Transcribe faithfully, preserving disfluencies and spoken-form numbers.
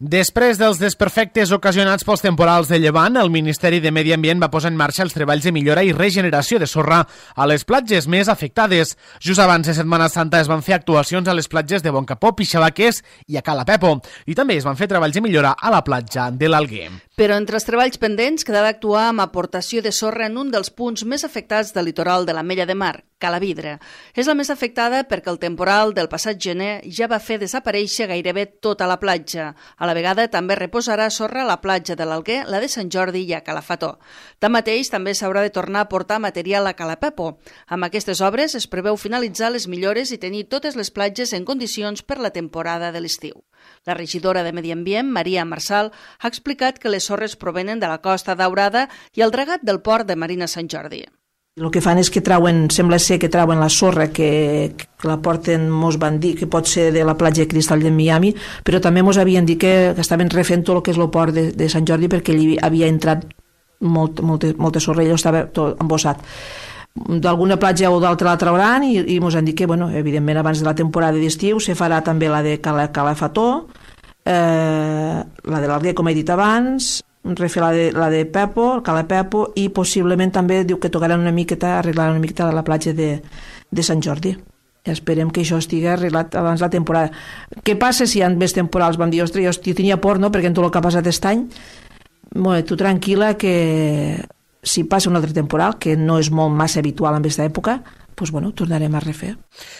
Després dels desperfectes ocasionats pels temporals de llevant, el Ministeri de Medi Ambient va posar en marxa els treballs de millora i regeneració de sorra a les platges més afectades. Just abans de Setmana Santa es van fer actuacions a les platges de Boncapó, Pixabaques i a Cala Pepo. I també es van fer treballs de millora a la platja de l'Alguer. Però entre els treballs pendents quedava actuar amb aportació de sorra en un dels punts més afectats del litoral de l'Ametlla de Mar, Calavidra. És la més afectada perquè el temporal del passat gener ja va fer desaparèixer gairebé tota la platja. A la vegada també reposarà sorra a la platja de l'Alguer, la de Sant Jordi i a Calafató. Tanmateix, també s'haurà de tornar a portar material a Cala Pepo. Amb aquestes obres es preveu finalitzar les millores i tenir totes les platges en condicions per la temporada de l'estiu. La regidora de Medi Ambient, Maria Marçal, ha explicat que les sorres provenen de la Costa Daurada i el dragat del port de Marina Sant Jordi. El que fan és que trauen, sembla ser que trauen la sorra que, que la porten, mos van dir que pot ser de la platja de Cristall de Miami, però també mos havien dit que, que estaven refent tot el que és el port de, de Sant Jordi perquè allí havia entrat molt, molta, molta sorra i allò estava tot embossat. D'alguna platja o d'altra la trauran i, i mos han dit que, bueno, evidentment, abans de la temporada d'estiu se farà també la de Cala, Calafató, eh, la de l'Alguer, com he dit abans, refer la de, la de Pepo, el Cala Pepo, i possiblement també diu que tocaran una miqueta, arreglaran una miqueta la platja de, de Sant Jordi. Esperem que això estigui arreglat abans de la temporada. Què passa si hi ha més temporals? Vam dir, ostres, jo tenia por, no?, perquè en tot el que ha passat aquest any. Bueno, tu tranquil·la que si passa un altre temporal, que no és molt massa habitual en aquesta època, doncs, bueno, tornarem a refer.